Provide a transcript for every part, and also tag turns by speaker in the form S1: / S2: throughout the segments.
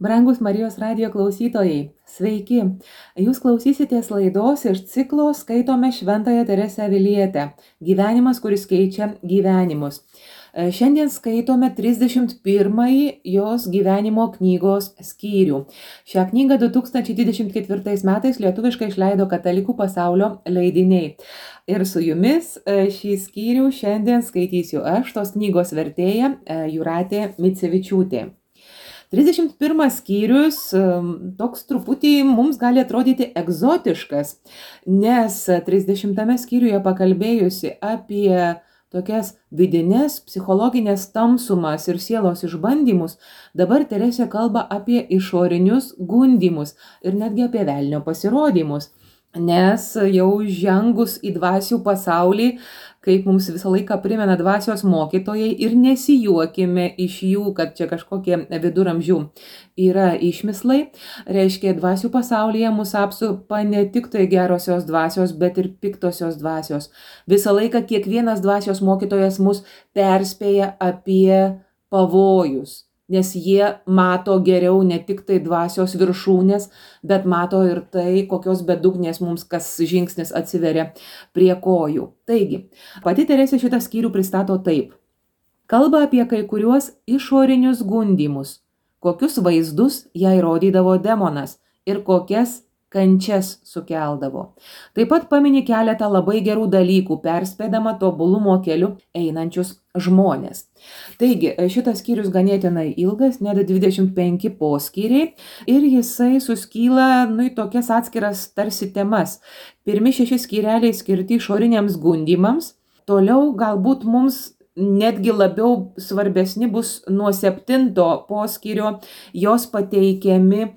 S1: Brangus Marijos radijo klausytojai, sveiki! Jūs klausysitės laidos iš ciklo Skaitome Šventąją Teresę Avilietę – gyvenimas, kuris keičia gyvenimus. Šiandien skaitome 31-ąjį jos gyvenimo knygos skyrių. Šią knygą 2024 metais lietuviškai išleido Katalikų pasaulio leidiniai. Ir su jumis šį skyrių šiandien skaitysiu aš, tos knygos vertėja Jūratė Micevičiūtė. 31 skyrius toks truputį mums gali atrodyti egzotiškas, nes 30 skyriuje pakalbėjusi apie tokias vidinės psichologinės tamsumas ir sielos išbandymus, dabar Teresė kalba apie išorinius gundymus ir netgi apie velnio pasirodymus. Nes jau žengus į dvasių pasaulį, kaip mums visą laiką primena dvasios mokytojai, ir nesijuokime iš jų, kad čia kažkokie viduramžių yra išmislai, reiškia dvasių pasaulyje mus apsupa ne tik tai gerosios dvasios, bet ir piktosios dvasios. Visą laiką kiekvienas dvasios mokytojas mus perspėja apie pavojus. Nes jie mato geriau ne tik tai dvasios viršūnės, bet mato ir tai, kokios bedugnės mums kas žingsnis atsiveria prie kojų. Taigi, pati Teresė šitą skyrių pristato taip. Kalba apie kai kuriuos išorinius gundymus, kokius vaizdus jai rodydavo demonas ir kokias kančias sukeldavo. Taip pat pamini keletą labai gerų dalykų, perspėdama tobulumo keliu einančius žmonės. Taigi, šitas skyrius ganėtinai ilgas, net 25 poskyriai, ir jisai suskyla į tokias atskiras tarsi temas. Pirmi 6 skyreliai skirti išoriniams gundymams, toliau galbūt mums netgi labiau svarbesni bus nuo 7 poskyrio jos pateikiami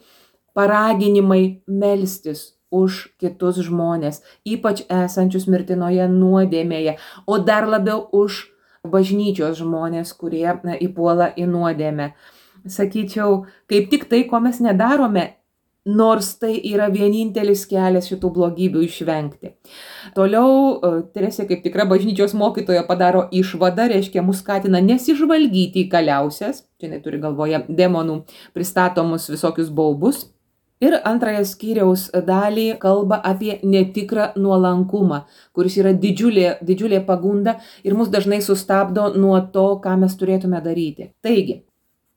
S1: paraginimai melstis už kitus žmonės, ypač esančius mirtinoje nuodėmėje, o dar labiau už bažnyčios žmonės, kurie įpuola į nuodėmę. Sakyčiau, kaip tik tai, ko mes nedarome, nors tai yra vienintelis kelias šitų blogybių išvengti. Toliau Teresė kaip tikra bažnyčios mokytoja padaro išvadą, reiškia mus skatina nesižvalgyti į kaliausias, čia neturi galvoje demonų pristatomus visokius baubus. Ir antrąją skyriaus dalį kalba apie netikrą nuolankumą, kuris yra didžiulė pagunda ir mus dažnai sustabdo nuo to, ką mes turėtume daryti. Taigi,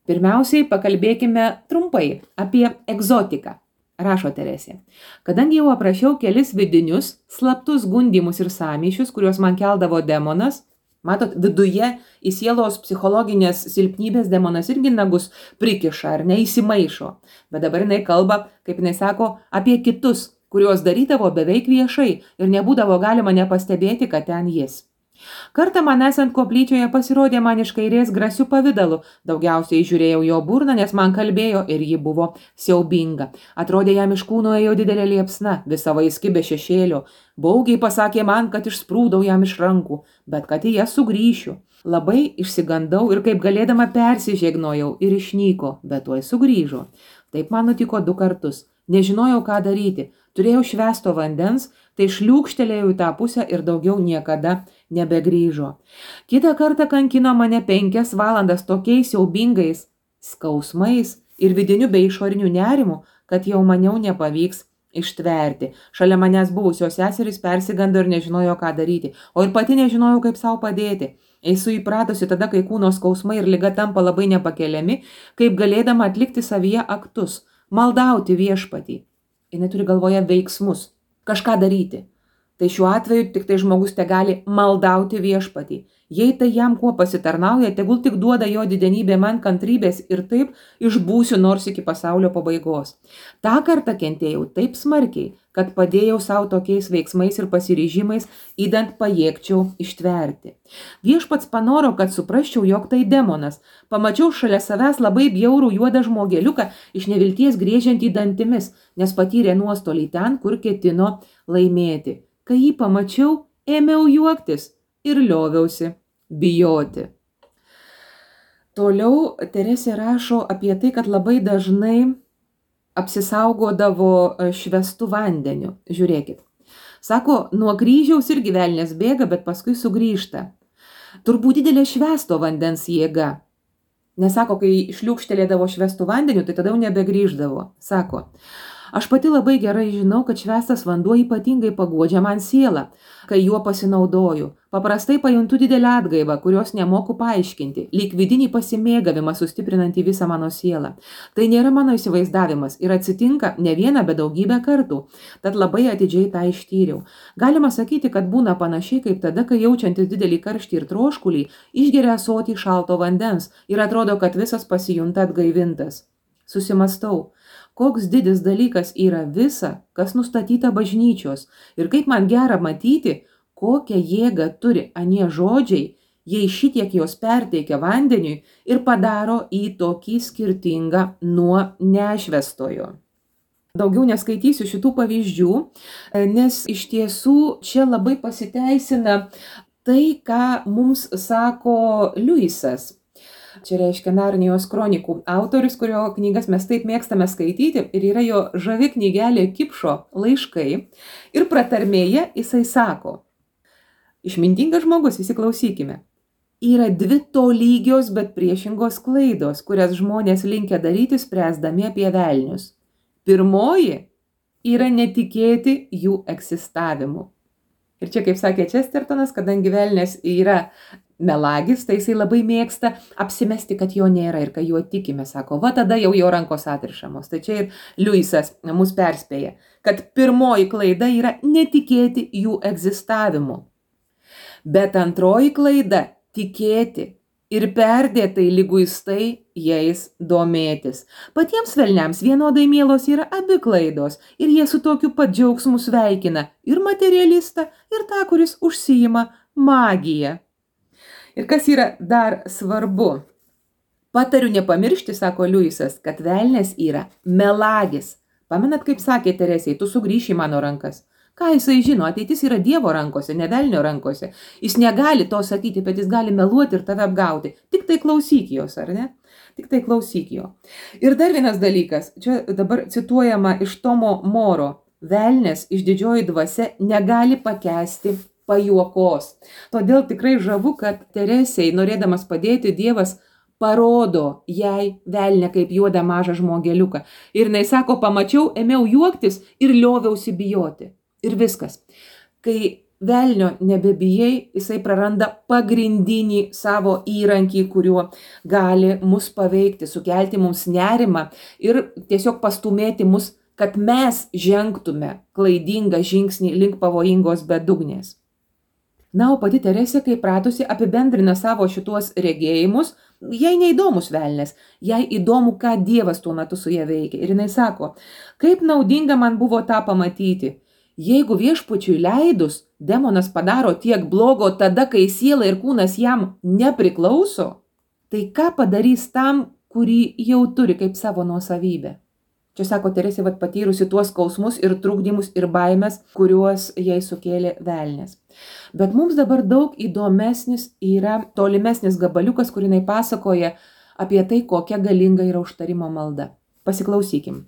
S1: pirmiausiai pakalbėkime trumpai apie egzotiką, rašo Teresė. Kadangi jau aprašiau kelis vidinius, slaptus gundymus ir sąmyšius, kuriuos man keldavo demonas, matot, viduje į sielos psichologinės silpnybės demonas irgi nagus prikiša ar neįsimaišo. Bet dabar jinai kalba, kaip jinai sako, apie kitus, kuriuos darydavo beveik viešai ir nebūdavo galima nepastebėti, kad ten jis. Kartą man esant koplyčioje pasirodė man iš kairės grasių pavidalu. Daugiausiai žiūrėjau jo burną, nes man kalbėjo ir ji buvo siaubinga. Atrodė, jam iš kūno ėjo didelė liepsna, visa vaiski be šešėlio. Baugiai pasakė man, kad išsprūdau jam iš rankų, bet kad į jas sugrįšiu. Labai išsigandau ir kaip galėdama persižegnojau ir išnyko, bet tuoj sugrįžo. Taip man nutiko 2 kartus. Nežinojau, ką daryti. Turėjau švęsto vandens, tai šliūkštelėjau į tą pusę ir daugiau niekada nebegrįžo. Kitą kartą kankino mane 5 valandas tokiais siaubingais skausmais ir vidiniu bei išoriniu nerimu, kad jau maniau nepavyks ištverti. Šalia manęs buvusios seserys persigando ir nežinojo, ką daryti, o ir pati nežinojau, kaip savo padėti. Esu įpratusi tada, kai kūno skausmai ir liga tampa labai nepakeliami, kaip galėdama atlikti savyje aktus, maldauti viešpatį. Jis turi galvoje veiksmus, kažką daryti. Tai šiuo atveju tik tai žmogus te gali maldauti viešpatį. Jei tai jam kuo pasitarnauja, tegul tik duoda jo didenybė man kantrybės ir taip išbūsiu nors iki pasaulio pabaigos. Ta kartą kentėjau taip smarkiai, kad padėjau savo tokiais veiksmais ir pasiryžimais, idant pajėgčiau ištverti. Viešpats panoro, kad suprasčiau, jog tai demonas. Pamačiau šalia savęs labai bjaurų juodą žmogeliuką iš nevilties griežiantį dantimis, nes patyrė nuostolį ten, kur ketino laimėti. Kai jį pamačiau, ėmiau juoktis ir lioviausi bijoti. Toliau Teresė rašo apie tai, kad labai dažnai apsisaugodavo švęstu vandeniu. Žiūrėkit. Sako, nuo kryžiaus irgi velnias bėga, bet paskui sugrįžta. Turbūt didelė švęsto vandens jėga. Nesako, kai šliūkštelėdavo švestų vandeniu, tai tada jau nebegrįždavo. Sako, aš pati labai gerai žinau, kad švestas vanduo ypatingai paguodžia man sielą, kai juo pasinaudoju. Paprastai pajuntu didelę atgaivą, kurios nemoku paaiškinti, lyg vidinį pasimėgavimą sustiprinantį visą mano sielą. Tai nėra mano įsivaizdavimas ir atsitinka ne vieną, bet daugybę kartų, tad labai atidžiai tą ištyriau. Galima sakyti, kad būna panašiai kaip tada, kai jaučiantis didelį karštį ir troškulį, išgeria ąsotį šalto vandens ir atrodo, kad visas pasijunta atgaivintas. Susimastau. Koks didis dalykas yra visa, kas nustatyta bažnyčios ir kaip man gera matyti, kokią jėgą turi anie žodžiai, jei šitiek jos perteikia vandeniui ir padaro į tokį skirtingą nuo nešvestojo. Daugiau neskaitysiu šitų pavyzdžių, nes iš tiesų čia labai pasiteisina tai, ką mums sako Liujisas. Čia reiškia Narnijos kronikų autorius, kurio knygas mes taip mėgstame skaityti ir yra jo žavi knygelė Kipšo laiškai. Ir pratarmėje jisai sako, išmintingas žmogus, įsiklausykime, yra dvi tolygios, bet priešingos klaidos, kurias žmonės linkę daryti spręsdami apie velnius. Pirmoji yra netikėti jų egzistavimu. Ir čia, kaip sakė Chestertonas, kadangi velnės yra melagis, tai jisai labai mėgsta apsimesti, kad jo nėra ir kai juo tikime, sako, va tada jau jo rankos atrišamos. Tai čia ir Liujisas mus perspėja, kad pirmoji klaida yra netikėti jų egzistavimu. Bet antroji klaida – tikėti ir perdėtai liguistai jais domėtis. Patiems velniams vienodai mielos yra abi klaidos ir jie su tokiu pat džiaugsmu sveikina ir materialistą, ir tą, kuris užsiima magiją. Ir kas yra dar svarbu? Patariu nepamiršti, sako Liujisas, kad velnias yra melagis. Pamenat, kaip sakė Teresei, tu sugrįši į mano rankas. Ką jisai žino, ateitis yra Dievo rankose, ne velnio rankose. Jis negali to sakyti, bet jis gali meluoti ir tave apgauti. Tik tai klausyk jos, ar ne? Tik tai klausyk jo. Ir dar vienas dalykas, čia dabar cituojama iš Tomo Moro. Velnias išdidžioji dvasia negali pakęsti pajuokos. Todėl tikrai žavu, kad Teresei, norėdamas padėti, Dievas parodo jai velnę kaip juodą mažą žmogeliuką. Ir jinai sako, pamačiau, ėmiau juoktis ir lioviausi bijoti. Ir viskas. Kai velnio nebebijai, jisai praranda pagrindinį savo įrankį, kuriuo gali mus paveikti, sukelti mums nerimą ir tiesiog pastumėti mus, kad mes žengtume klaidingą žingsnį link pavojingos bedugnės. Na, o pati Teresė, kai pratusi, apibendrina savo šituos regėjimus, jai neįdomus velnės, jai įdomu, ką Dievas tuo metu su ja veikia. Ir jinai sako, kaip naudinga man buvo tą pamatyti. Jeigu viešpačiui leidus, demonas padaro tiek blogo tada, kai siela ir kūnas jam nepriklauso, tai ką padarys tam, kurį jau turi kaip savo nuosavybę? Čia sako Teresė, patyrusi tuos skausmus ir trukdymus ir baimės, kuriuos jai sukėlė velnės. Bet mums dabar daug įdomesnis yra tolimesnis gabaliukas, kur jinai pasakoja apie tai, kokia galinga yra užtarimo malda. Pasiklausykim.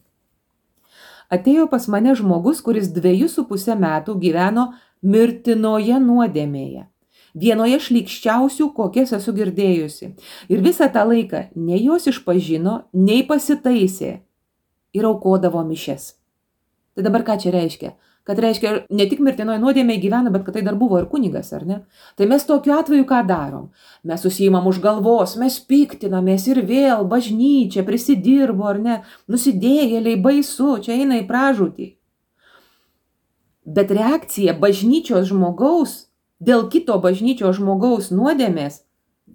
S1: Atėjo pas mane žmogus, kuris 2,5 metų gyveno mirtinoje nuodėmėje. Vienoje šlykščiausių, kokias esu girdėjusi. Ir visą tą laiką nei jos išpažino, nei pasitaisė ir aukodavo mišias. Tai dabar ką čia reiškia? Kad reiškia, ne tik mirtinoje nuodėmėje gyvena, bet kad tai dar buvo ir kunigas, ar ne? Tai mes tokiu atveju ką darom? Mes susiimam už galvos, mes piktinamės ir vėl bažnyčia prisidirbo, ar ne? Nusidėjėliai, baisu, čia eina į pražūtį. Bet reakcija bažnyčios žmogaus dėl kito bažnyčios žmogaus nuodėmės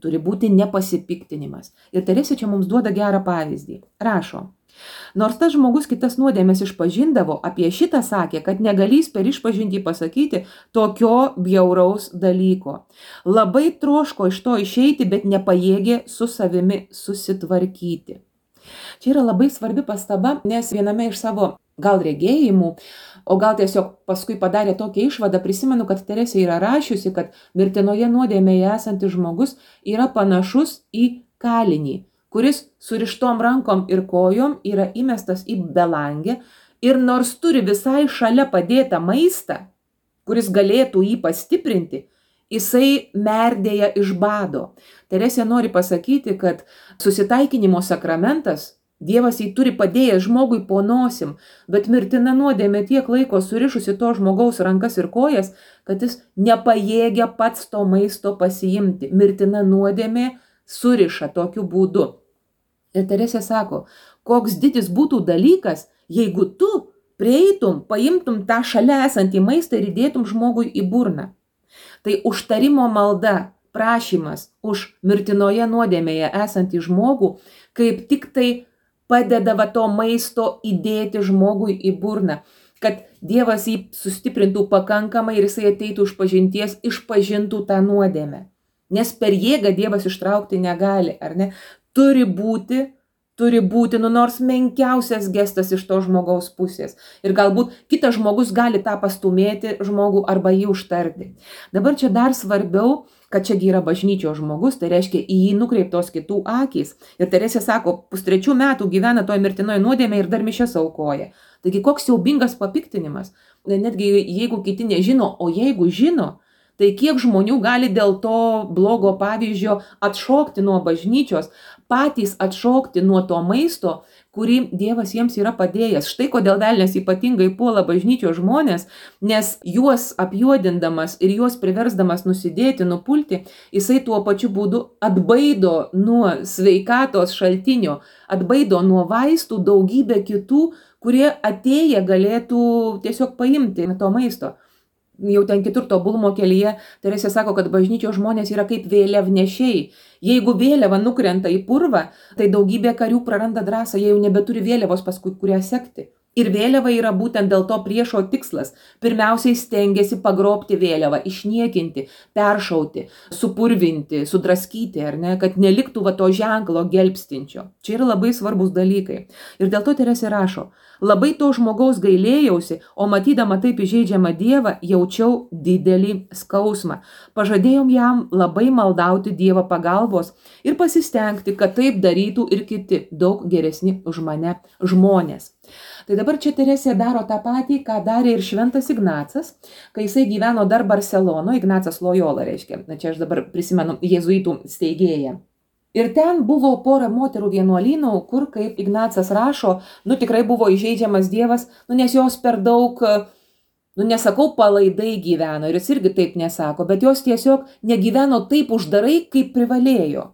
S1: turi būti nepasipiktinimas. Ir Teresė čia mums duoda gerą pavyzdį. Rašo. Nors tas žmogus kitas nuodėmės išpažindavo, apie šitą sakė, kad negalys per išpažintį pasakyti tokio bjauraus dalyko. Labai troško iš to išeiti, bet nepajėgė su savimi susitvarkyti. Čia yra labai svarbi pastaba, nes viename iš savo gal regėjimų, o gal tiesiog paskui padarė tokią išvadą, prisimenu, kad Teresė yra rašiusi, kad mirtinoje nuodėmėje esantis žmogus yra panašus į kalinį, kuris surištom rankom ir kojom yra įmestas į belangę ir nors turi visai šalia padėtą maistą, kuris galėtų jį pastiprinti, jisai merdėja iš bado. Teresė nori pasakyti, kad susitaikinimo sakramentas Dievas jį turi padėjęs žmogui po nosim, bet mirtina nuodėmė tiek laiko surišusi to žmogaus rankas ir kojas, kad jis nepajėgia pats to maisto pasiimti. Mirtina nuodėmė suriša tokiu būdu. Ir Teresė sako, koks didis būtų dalykas, jeigu tu prieitum, paimtum tą šalia esantį maistą ir įdėtum žmogui į burną. Tai užtarimo malda, prašymas už mirtinoje nuodėmėje esantį žmogų, kaip tik tai padeda to maisto įdėti žmogui į burną, kad Dievas jį sustiprintų pakankamai ir jisai ateitų iš pažinties, išpažintų tą nuodėmę. Nes per jėgą Dievas ištraukti negali, ar ne? Turi būti, nors menkiausias gestas iš to žmogaus pusės. Ir galbūt kitas žmogus gali tą pastumėti žmogų arba jį užtarti. Dabar čia dar svarbiau, kad čiagi yra bažnyčios žmogus, tai reiškia į jį nukreiptos kitų akys. Ir Teresė sako, 3 metų gyvena toj mirtinoje nuodėmė ir dar mišias aukoja. Taigi koks siaubingas papiktinimas. Netgi jeigu kiti nežino, o jeigu žino, tai kiek žmonių gali dėl to blogo pavyzdžio atšokti nuo bažnyčios, patys atšokti nuo to maisto, kurį Dievas jiems yra padėjęs. Štai kodėl velnias ypatingai puola bažnyčios žmonės, nes juos apjuodindamas ir juos priversdamas nusidėti, nupulti, jisai tuo pačiu būdu atbaido nuo sveikatos šaltinio, atbaido nuo vaistų daugybę kitų, kurie atėję galėtų tiesiog paimti to maisto. Jau ten kitur tobulumo kelyje Teresė sako, kad bažnyčios žmonės yra kaip vėliavnešiai. Jeigu vėliava nukrenta į purvą, tai daugybė karių praranda drąsą, jie jau nebeturi vėliavos paskui kurią sekti. Ir vėliava yra būtent dėl to priešo tikslas. Pirmiausiai stengiasi pagrobti vėliavą, išniekinti, peršauti, supurvinti, sudraskyti, ar ne, kad neliktų to ženklo gelbstinčio. Čia yra labai svarbus dalykai. Ir dėl to Teresė rašo, labai to žmogaus gailėjausi, o matydama taip įžeidžiamą Dievą, jaučiau didelį skausmą. Pažadėjom jam labai maldauti Dievo pagalbos ir pasistengti, kad taip darytų ir kiti, daug geresni už mane žmonės. Tai dabar čia Teresė daro tą patį, ką darė ir šventas Ignacas, kai jisai gyveno dar Barcelonoje, Ignacas Loyola reiškia, čia aš dabar prisimenu jėzuitų steigėją. Ir ten buvo pora moterų vienuolynų, kur, kaip Ignacas rašo, tikrai buvo įžeidžiamas Dievas, nes jos per daug, nesakau, palaidai gyveno, ir jis irgi taip nesako, bet jos tiesiog negyveno taip uždarai, kaip privalėjo.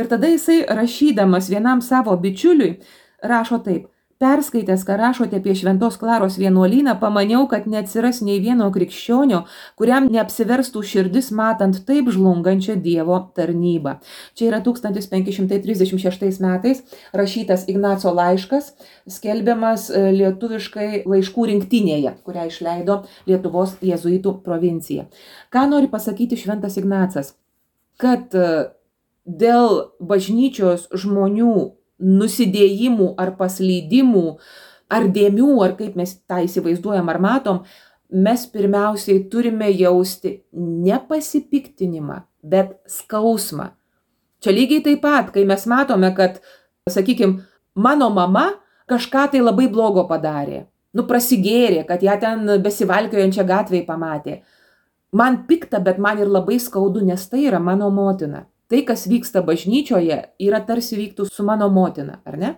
S1: Ir tada jisai rašydamas vienam savo bičiuliui rašo taip. Perskaitęs, ką rašote apie Šventos Klaros vienuolyną, pamaniau, kad neatsiras nei vieno krikščionio, kuriam neapsiverstų širdis matant taip žlungančią Dievo tarnybą. Čia yra 1536 metais rašytas Ignaco laiškas, skelbiamas lietuviškai laiškų rinktinėje, kurią išleido Lietuvos jėzuitų provincija. Ką nori pasakyti šventas Ignacas? Kad dėl bažnyčios žmonių nusidėjimų ar paslydimų, ar dėmių, ar kaip mes tą įsivaizduojam ar matom, mes pirmiausiai turime jausti ne pasipiktinimą, bet skausmą. Čia lygiai taip pat, kai mes matome, kad, sakykime, mano mama kažką tai labai blogo padarė, prasigėrė, kad ją ten besivalkiojančią gatvėje pamatė. Man pikta, bet man ir labai skaudu, nes tai yra mano motina. Tai, kas vyksta bažnyčioje, yra tarsi vyktų su mano motina, ar ne?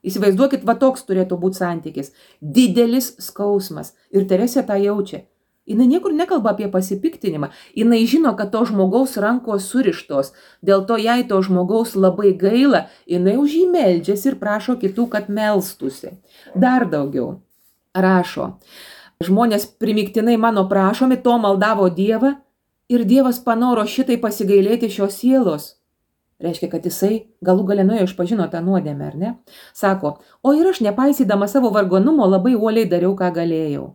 S1: Įsivaizduokit, toks turėtų būti santykis. Didelis skausmas. Ir Teresė tą jaučia. Jinai niekur nekalba apie pasipiktinimą. Jinai žino, kad to žmogaus rankos surištos. Dėl to jai to žmogaus labai gaila. Jinai už jį meldžiasi ir prašo kitų, kad melstųsi. Dar daugiau. Rašo. Žmonės primiktinai mano prašomi, to maldavo Dievą. Ir Dievas panoro šitai pasigailėti šios sielos. Reiškia, kad jisai galų gale nuėjo išpažino tą nuodėmę, ar ne? Sako, o ir aš nepaisydama savo vargonumo labai uoliai dariau, ką galėjau.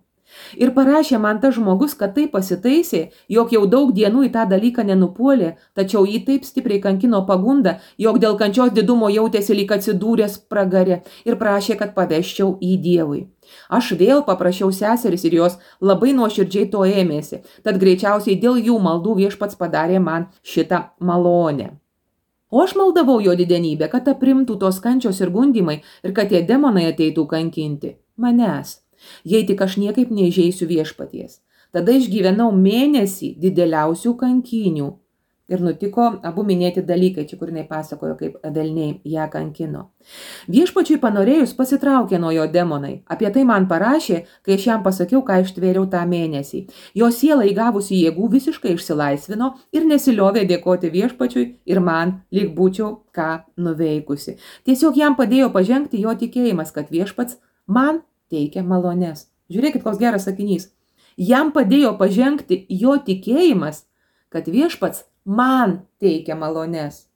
S1: Ir parašė man tas žmogus, kad tai pasitaisė, jog jau daug dienų į tą dalyką nenupuolė, tačiau jį taip stipriai kankino pagunda, jog dėl kančios didumo jautėsi lyg atsidūręs pragare ir prašė, kad paveščiau į Dievui. Aš vėl paprašiau seseris ir jos labai nuoširdžiai to ėmėsi, tad greičiausiai dėl jų maldų Viešpats padarė man šitą malonę. O aš maldavau jo didenybę, kad aprimtų tos kančios ir gundimai ir kad tie demonai ateitų kankinti manęs. Jei tik aš niekaip neįžeisiu Viešpaties. Tada išgyvenau mėnesį dideliausių kankynių. Ir nutiko abu minėti dalykai, čia kur jinai pasakojo, kaip velniai ją kankino. Viešpačiui panorėjus pasitraukė nuo jo demonai. Apie tai man parašė, kai aš jam pasakiau, ką ištvėriau tą mėnesį. Jo siela įgavusi jėgų visiškai išsilaisvino ir nesiliovė dėkoti viešpačiui ir man, lyg būčiau ką nuveikusi. Tiesiog jam padėjo pažengti jo tikėjimas, kad viešpats man teikia malones. Žiūrėkit, koks geras sakinys. Jam padėjo pažengti jo tikėjimas, kad viešpats man teikia malones.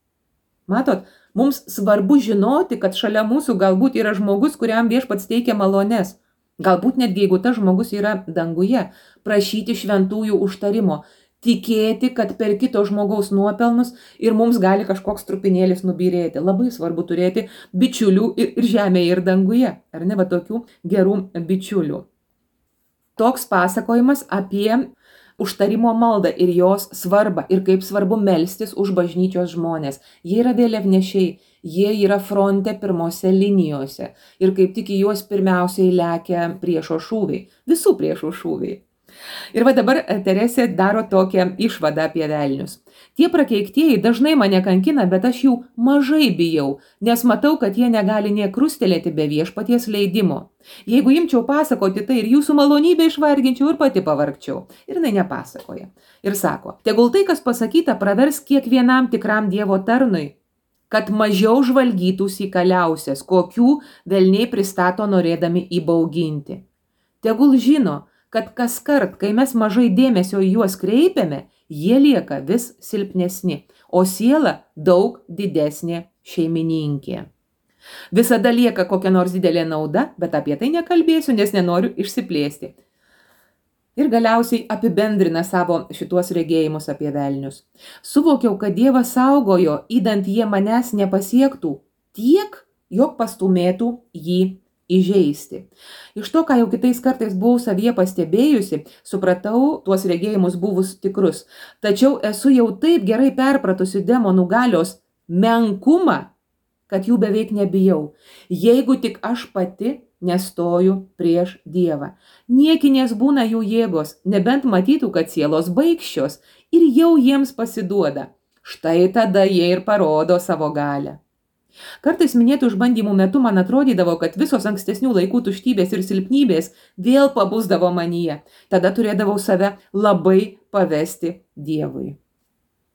S1: Matot, mums svarbu žinoti, kad šalia mūsų galbūt yra žmogus, kuriam viešpats teikia malones. Galbūt netgi jeigu tas žmogus yra danguje, prašyti šventųjų užtarimo, tikėti, kad per kito žmogaus nuopelnus ir mums gali kažkoks trupinėlis nubyrėti. Labai svarbu turėti bičiulių ir žemėje, ir danguje. Ar ne, va tokių gerų bičiulių. Toks pasakojimas apie užtarimo maldą ir jos svarbą ir kaip svarbu melstis už bažnyčios žmonės. Jie yra vėliavnešiai, jie yra fronte pirmose linijose ir kaip tik į juos pirmiausiai lekia priešo šūviai, visų priešų šūviai. Ir va dabar Teresė daro tokią išvadą apie velnius. Tie prakeiktieji dažnai mane kankina, bet aš jų mažai bijau, nes matau, kad jie negali nė krustelėti be viešpaties leidimo. Jeigu imčiau pasakoti tai ir jūsų malonybę išvarginčiau ir pati pavargčiau. Ir jinai nepasakoja. Ir sako, tegul tai, kas pasakyta, pravers kiekvienam tikram Dievo tarnui, kad mažiau žvalgytųsi įkaliausias, kokių velniai pristato norėdami įbauginti. Tegul žino, kad kaskart, kai mes mažai dėmesio į juos kreipiame, jie lieka vis silpnesni, o siela daug didesnė šeimininkė. Visada lieka kokia nors didelė nauda, bet apie tai nekalbėsiu, nes nenoriu išsiplėsti. Ir galiausiai apibendrina savo šituos regėjimus apie velnius. Suvokiau, kad Dievas saugojo, įdant jie manęs nepasiektų tiek, jog pastumėtų jį įžeisti. Iš to, ką jau kitais kartais buvau savyje pastebėjusi, supratau tuos regėjimus buvus tikrus. Tačiau esu jau taip gerai perpratusi demonų galios menkumą, kad jų beveik nebijau. Jeigu tik aš pati nestoju prieš Dievą. Niekinės būna jų jėgos, nebent matytų, kad sielos baikščios ir jau jiems pasiduoda. Štai tada jie ir parodo savo galią. Kartais minėtų išbandymų metu man atrodydavo, kad visos ankstesnių laikų tuštybės ir silpnybės vėl pabusdavo manyje. Tada turėdavau save labai pavesti Dievui.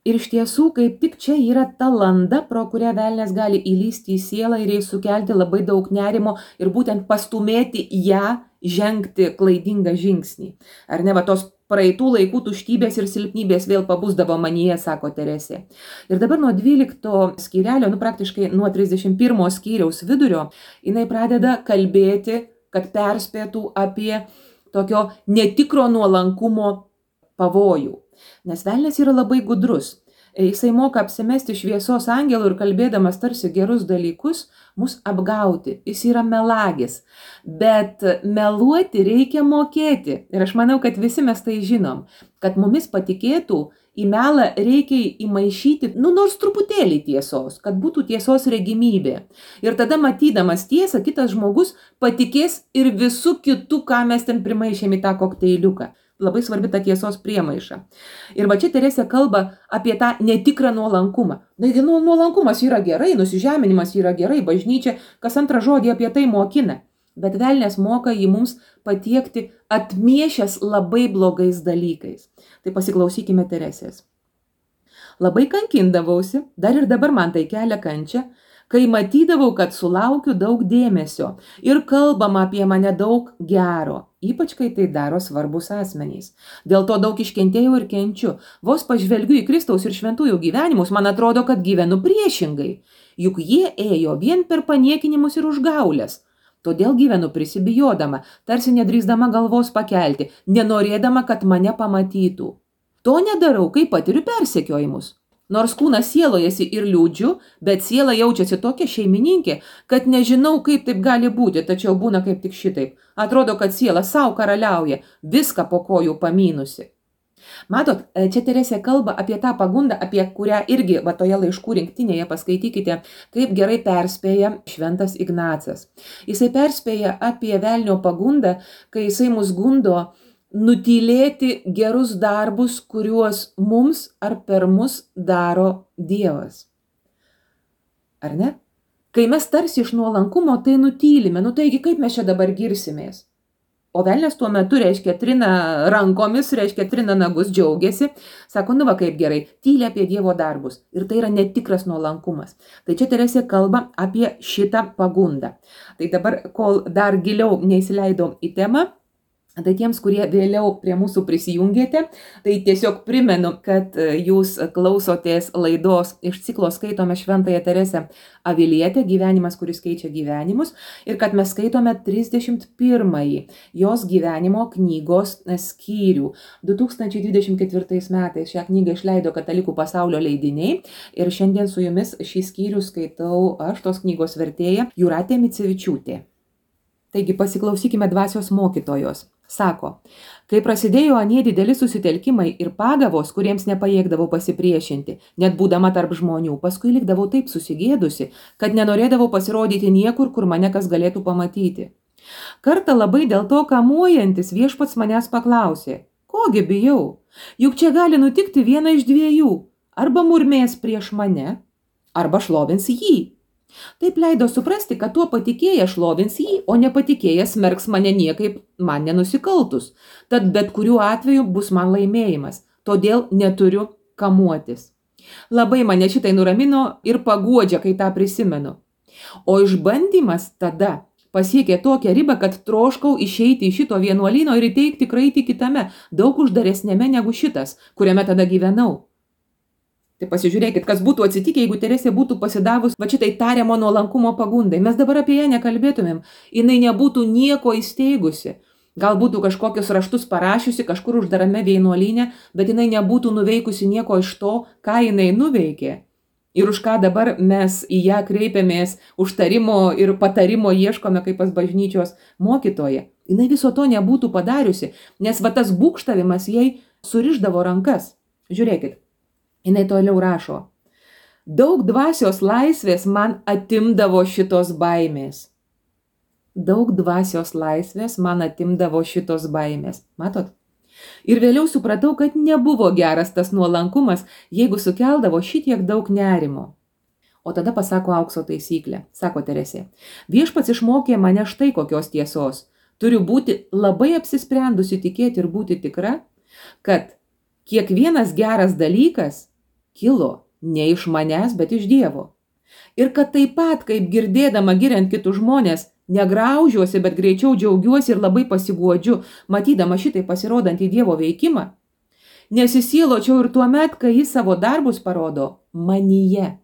S1: Ir iš tiesų, kaip tik čia yra ta landa, pro kurią velnias gali įlysti į sielą ir jai sukelti labai daug nerimo ir būtent pastumėti ją žengti klaidingą žingsnį. Ar ne, va tos praeitų laikų tuštybės ir silpnybės vėl pabusdavo manyje, sako Teresė. Ir dabar nuo 12 skyrelio, praktiškai nuo 31 skyriaus vidurio, jinai pradeda kalbėti, kad perspėtų apie tokio netikro nuolankumo pavojų. Nes velnias yra labai gudrus. Jisai moka apsimesti šviesos angelų ir kalbėdamas tarsi gerus dalykus, mus apgauti. Jis yra melagis. Bet meluoti reikia mokėti. Ir aš manau, kad visi mes tai žinom. Kad mumis patikėtų, į melą reikia įmaišyti, nors truputėlį tiesos, kad būtų tiesos regimybė. Ir tada matydamas tiesą, kitas žmogus patikės ir visų kitų, ką mes ten primaišėm į tą kokteiliuką. Labai svarbi ta tiesos priemaiša. Ir va čia Teresė kalba apie tą netikrą nuolankumą. Nuolankumas yra gerai, nusižeminimas yra gerai, bažnyčia kas antrą žodį apie tai mokina. Bet velnias moka jį mums patiekti atmiešęs labai blogais dalykais. Tai pasiklausykime Teresės. Labai kankindavausi, dar ir dabar man tai kelia kančią, kai matydavau, kad sulaukiu daug dėmesio ir kalbama apie mane daug gero, ypač kai tai daro svarbus asmenys. Dėl to daug iškentėjau ir kenčiu. Vos pažvelgiu į Kristaus ir šventųjų gyvenimus, man atrodo, kad gyvenu priešingai. Juk jie ėjo vien per paniekinimus ir užgaulės. Todėl gyvenu prisibijodama, tarsi nedrįsdama galvos pakelti, nenorėdama, kad mane pamatytų. To nedarau, kai patiriu persekiojimus. Nors kūnas sielojasi ir liūdžiu, bet siela jaučiasi tokia šeimininkė, kad nežinau, kaip taip gali būti, tačiau būna kaip tik šitaip. Atrodo, kad siela savo karaliauja, viską po kojų pamynusi. Matot, čia Teresė kalba apie tą pagundą, apie kurią irgi va toje laiškų rinktinėje paskaitykite, kaip gerai perspėja šventas Ignacas. Jisai perspėja apie velnio pagundą, kai jisai mus gundo nutylėti gerus darbus, kuriuos mums ar per mus daro Dievas. Ar ne? Kai mes tarsi iš nuolankumo tai nutylime, taigi kaip mes čia dabar girsimės? O velnias tuo metu, reiškia, trina rankomis, reiškia, trina nagus, džiaugiasi, sako, va kaip gerai, tyli apie Dievo darbus. Ir tai yra netikras nuolankumas. Tai čia Teresė kalba apie šitą pagundą. Tai dabar, kol dar giliau neįsileidau į temą, tai tiems, kurie vėliau prie mūsų prisijungėte, tai tiesiog primenu, kad jūs klausotės laidos iš ciklo Skaitome Šventąją Teresę Avilietę, gyvenimas, kuris keičia gyvenimus, ir kad mes skaitome 31 jos gyvenimo knygos skyrių. 2024 metais šią knygą išleido Katalikų pasaulio leidiniai ir šiandien su jumis šį skyrių skaitau aš, tos knygos vertėja Jūratė Micevičiūtė. Taigi pasiklausykime dvasios mokytojos. Sako, kai prasidėjo anie dideli susitelkimai ir pagavos, kuriems nepajėgdavau pasipriešinti, net būdama tarp žmonių, paskui likdavau taip susigėdusi, kad nenorėdavau pasirodyti niekur, kur mane kas galėtų pamatyti. Kartą labai dėl to kamuojantis viešpats manęs paklausė, kogi bijau, juk čia gali nutikti viena iš dviejų, arba murmės prieš mane, arba šlovins jį. Taip leido suprasti, kad tuo patikėjęs šlovins jį, o nepatikėjęs smerks mane niekaip man nenusikaltus. Tad bet kuriuo atveju bus man laimėjimas, todėl neturiu kamuotis. Labai mane šitai nuramino ir paguodžia, kai tą prisimenu. O išbandymas tada pasiekė tokią ribą, kad troškau išeiti iš šito vienuolyno ir įteikti kraitį kitame, daug uždaresnėme negu šitas, kuriame tada gyvenau. Tai pasižiūrėkit, kas būtų atsitikę, jeigu Teresė būtų pasidavus va šitai tariamo nuolankumo pagundai. Mes dabar apie ją nekalbėtumėm. Jinai nebūtų nieko įsteigusi. Gal būtų kažkokius raštus parašiusi kažkur uždarame vienuolyne, bet jinai nebūtų nuveikusi nieko iš to, ką jinai nuveikė. Ir už ką dabar mes į ją kreipiamės, užtarimo ir patarimo ieškome kaip pas bažnyčios mokytoją. Jinai viso to nebūtų padariusi, nes va tas būgštavimas jai surišdavo rankas. Žiūrėkit. Jinai toliau rašo, daug dvasios laisvės man atimdavo šitos baimės. Daug dvasios laisvės man atimdavo šitos baimės. Matot? Ir vėliau supratau, kad nebuvo geras tas nuolankumas, jeigu sukeldavo šitiek daug nerimo. O tada pasako aukso taisyklę, sako Teresė. Viešpats išmokė mane štai kokios tiesos. Turiu būti labai apsisprendusi tikėti ir būti tikra, kad kiekvienas geras dalykas kilo ne iš manęs, bet iš Dievo. Ir kad taip pat, kaip girdėdama giriant kitus žmonės, negraužiuosi, bet greičiau džiaugiuosi ir labai pasiguodžiu, matydama šitai pasirodantį Dievo veikimą, nesisieločiau ir tuomet, kai jis savo darbus parodo manyje.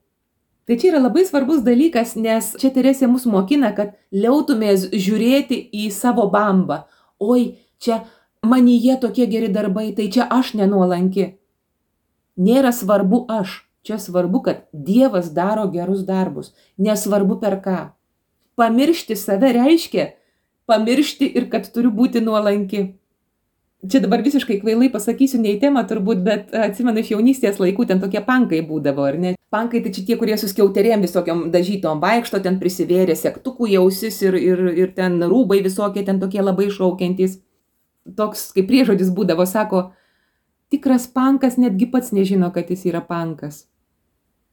S1: Tai čia yra labai svarbus dalykas, nes čia Teresė mus mokina, kad liautumės žiūrėti į savo bambą. Oi, čia manyje tokie geri darbai, tai čia aš nenuolanki. Nėra svarbu aš, čia svarbu, kad Dievas daro gerus darbus, nesvarbu per ką. Pamiršti save reiškia pamiršti ir kad turiu būti nuolanki. Čia dabar visiškai kvailai pasakysiu, ne į temą turbūt, bet atsimenu iš jaunystės laikų, ten tokie pankai būdavo, ar ne? Pankai tai čia tie, kurie su skiauterėm visokiom dažytom vaikšto, ten prisivėrė sektukų į ausis ir ten rūbai visokie, ten tokie labai šaukiantys. Toks kaip priežodis būdavo, sako, tikras pankas netgi pats nežino, kad jis yra pankas.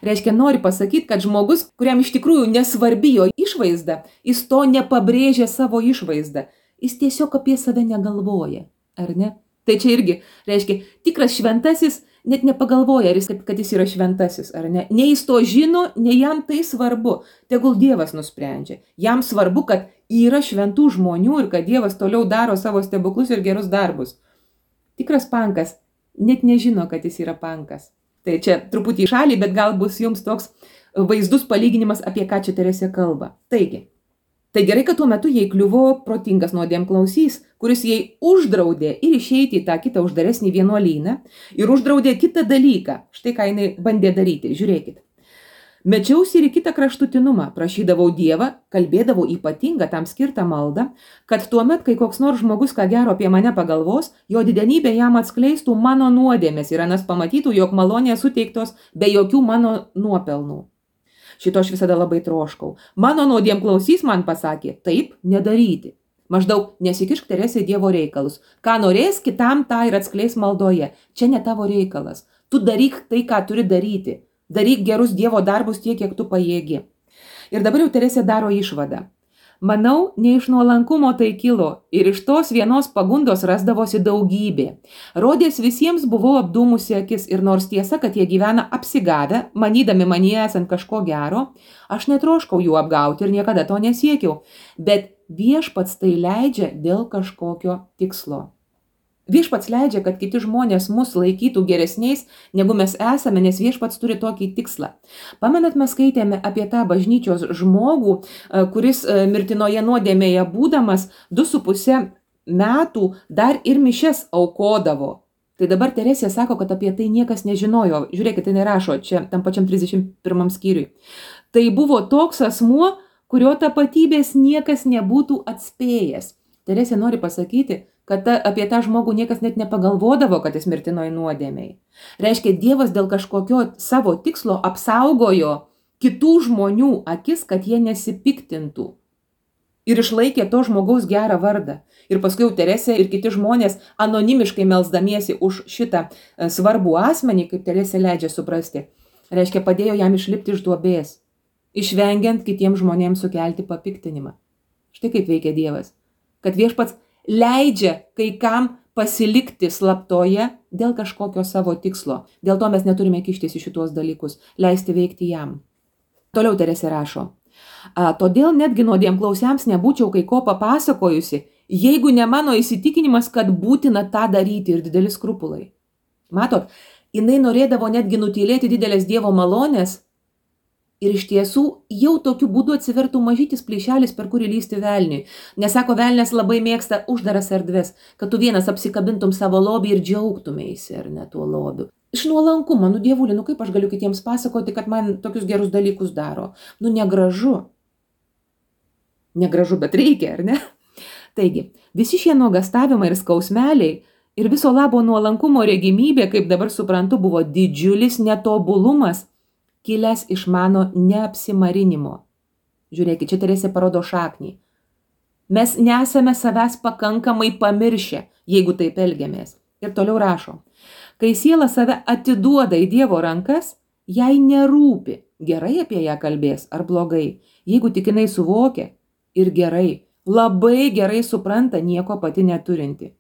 S1: Reiškia, nori pasakyti, kad žmogus, kuriam iš tikrųjų nesvarbi jo išvaizda, jis to nepabrėžia savo išvaizdą. Jis tiesiog apie save negalvoja, ar ne? Tai čia irgi, reiškia, tikras šventasis net nepagalvoja, kad jis yra šventasis, ar ne? Nei jis to žino, nei jam tai svarbu. Tegul Dievas nusprendžia. Jam svarbu, kad yra šventų žmonių ir kad Dievas toliau daro savo stebuklus ir gerus darbus. Tikras pankas net nežino, kad jis yra pankas. Tai čia truputį į šalį, bet gal bus jums toks vaizdus palyginimas, apie ką čia Teresė kalba. Taigi, tai gerai, kad tuo metu jai kliuvo protingas nuodėmklausys, kuris jai uždraudė ir išeiti į tą kitą uždaresnį vienuolyną ir uždraudė kitą dalyką. Štai ką jinai bandė daryti. Žiūrėkit. Mečiausi ir į kitą kraštutinumą, prašydavau Dievą, kalbėdavau ypatingą tam skirtą maldą, kad tuomet, kai koks nors žmogus ką gero apie mane pagalvos, jo didenybė jam atskleistų mano nuodėmės ir anas pamatytų, jog malonės suteiktos be jokių mano nuopelnų. Šito aš visada labai troškau. Mano nuodėmklausys man pasakė, taip nedaryti. Maždaug nesikišk Teresė į Dievo reikalus. Ką norės, kitam tą ir atskleis maldoje. Čia ne tavo reikalas. Tu daryk tai, ką turi daryti. Daryk gerus Dievo darbus tiek, kiek tu pajėgi. Ir dabar jau Teresė daro išvadą. Manau, ne iš nuolankumo tai kilo ir iš tos vienos pagundos rasdavosi daugybė. Rodės visiems buvau apdūmusi akis ir nors tiesa, kad jie gyvena apsigavę, manydami manyje esant kažko gero, aš netroškau jų apgauti ir niekada to nesiekiau, bet viešpats tai leidžia dėl kažkokio tikslo. Viešpats leidžia, kad kiti žmonės mus laikytų geresniais, negu mes esame, nes viešpats turi tokį tikslą. Pamenat, mes skaitėme apie tą bažnyčios žmogų, kuris mirtinoje nuodėmėje būdamas 2,5 metų dar ir mišias aukodavo. Tai dabar Teresė sako, kad apie tai niekas nežinojo. Žiūrėkit, tai rašo čia tam pačiam 31 skyriui. Tai buvo toks asmuo, kurio tapatybės niekas nebūtų atspėjęs. Teresė nori pasakyti, kad apie tą žmogų niekas net nepagalvodavo, kad jis mirtinoj nuodėmėj. Reiškia, Dievas dėl kažkokio savo tikslo apsaugojo kitų žmonių akis, kad jie nesipiktintų. Ir išlaikė to žmogaus gerą vardą. Ir paskui jau Teresė ir kiti žmonės anonimiškai melsdamiesi už šitą svarbų asmenį, kaip Teresė leidžia suprasti, reiškia, padėjo jam išlipti iš duobės, išvengiant kitiems žmonėms sukelti papiktinimą. Štai kaip veikia Dievas. Kad viešpats leidžia kai kam pasilikti slaptoje dėl kažkokio savo tikslo. Dėl to mes neturime kištis į šitos dalykus, leisti veikti jam. Toliau Teresė rašo. Todėl netgi nuodėmklausiams nebūčiau kai ko papasakojusi, jeigu ne mano įsitikinimas, kad būtina tą daryti ir dideli skrupulai. Matot, jinai norėdavo netgi nutylėti didelės Dievo malonės ir iš tiesų jau tokiu būdu atsivertų mažytis plyšelis, per kurį lysti velniui. Nes sako, velnės labai mėgsta uždaras erdves, kad tu vienas apsikabintum savo lobį ir džiaugtumėsi, ar ne, tuo lobiu. Iš nuolankumo, Dievuli, kaip aš galiu kitiems pasakoti, kad man tokius gerus dalykus daro? Negražu. Negražu, bet reikia, ar ne? Taigi, visi šie nuogastavimai ir skausmeliai ir viso labo nuolankumo regimybė, kaip dabar suprantu, buvo didžiulis netobulumas, kilęs iš mano neapsimarinimo. Žiūrėkit, čia Teresė parodo šaknį. Mes nesame savęs pakankamai pamiršę, jeigu taip elgiamės. Ir toliau rašo. Kai siela save atiduoda į Dievo rankas, jai nerūpi, gerai apie ją kalbės ar blogai. Jeigu tik jinai suvokia ir gerai, labai gerai supranta, nieko pati neturinti.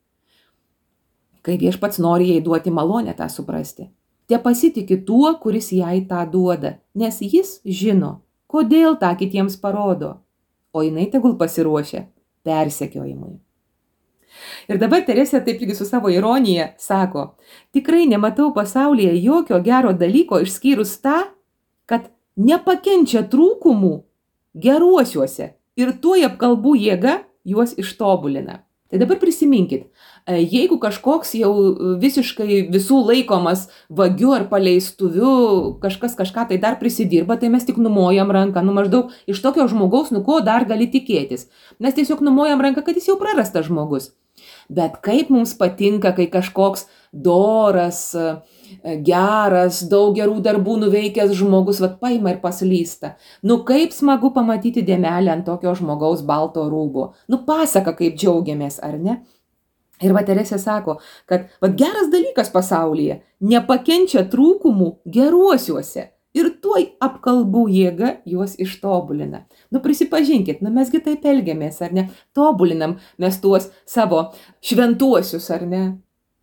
S1: Kai viešpats nori jai duoti malonę tą suprasti. Te pasitiki tuo, kuris jai tą duoda, nes jis žino, kodėl tą kitiems parodo, o jinai tegul pasiruošia persekiojimui. Ir dabar Teresė taip irgi su savo ironija sako, tikrai nematau pasaulyje jokio gero dalyko išskyrus tą, kad nepakenčia trūkumų geruosiuose ir tuoj apkalbų jėga juos ištobulina. Tai dabar prisiminkit, jeigu kažkoks jau visiškai visų laikomas vagiu ar paleistuviu, kažkas kažką tai dar prisidirba, tai mes tik numojam ranką, maždaug iš tokio žmogaus, ko dar gali tikėtis. Mes tiesiog numojam ranką, kad jis jau prarastas žmogus. Bet kaip mums patinka, kai kažkoks doras, geras, daug gerų darbų nuveikęs žmogus, paima ir paslysta. Kaip smagu pamatyti dėmelę ant tokio žmogaus balto rūbo. Pasaka, kaip džiaugiamės, ar ne? Ir Teresė sako, kad geras dalykas pasaulyje nepakenčia trūkumų geruosiuose ir tuoj apkalbų jėga juos ištobulina. Prisipažinkit, mesgi taip elgiamės, ar ne? Tobulinam mes tuos savo šventuosius, ar ne?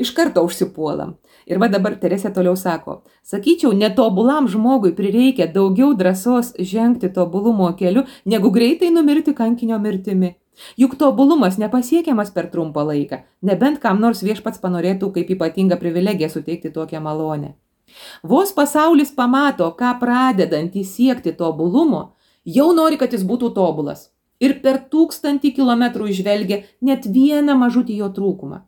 S1: Iš karto užsipuolam. Ir dabar Teresė toliau sako, sakyčiau, netobulam žmogui prireikia daugiau drąsos žengti tobulumo keliu, negu greitai numirti kankinio mirtimi. Juk tobulumas nepasiekiamas per trumpą laiką, nebent kam nors viešpats panorėtų kaip ypatingą privilegiją suteikti tokią malonę. Vos pasaulis pamato, ką pradedantį siekti tobulumo, jau nori, kad jis būtų tobulas. Ir per 1000 kilometrų išvelgia net vieną mažutį jo trūkumą.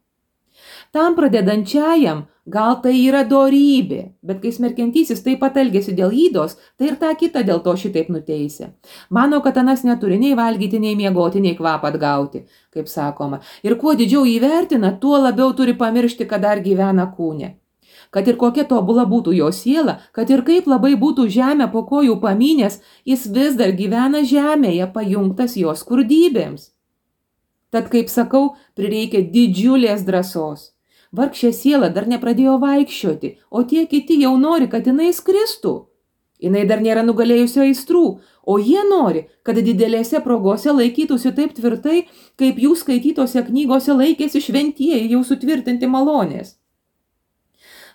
S1: Tam pradedančiajam gal tai yra dorybė, bet kai smerkiantysis taip pat elgėsi dėl ydos, tai ir tą kitą dėl to šitaip nuteisė. Mano, kad anas neturi nei valgyti, nei miegoti, nei kvapą atgauti, kaip sakoma. Ir kuo didžiau įvertina, tuo labiau turi pamiršti, kad dar gyvena kūne. Kad ir kokia tobula būtų jo siela, kad ir kaip labai būtų žemę po kojų pamynęs, jis vis dar gyvena žemėje, pajungtas jo skurdybėms. Tad, kaip sakau, prireikia didžiulės drąsos. Vargšė siela dar nepradėjo vaikščioti, o tie kiti jau nori, kad jinai skristų. Jinai dar nėra nugalėjusio aistrų, o jie nori, kad didelėse progose laikytųsi taip tvirtai, kaip jų skaitytose knygose laikėsi šventieji jau sutvirtinti malonės.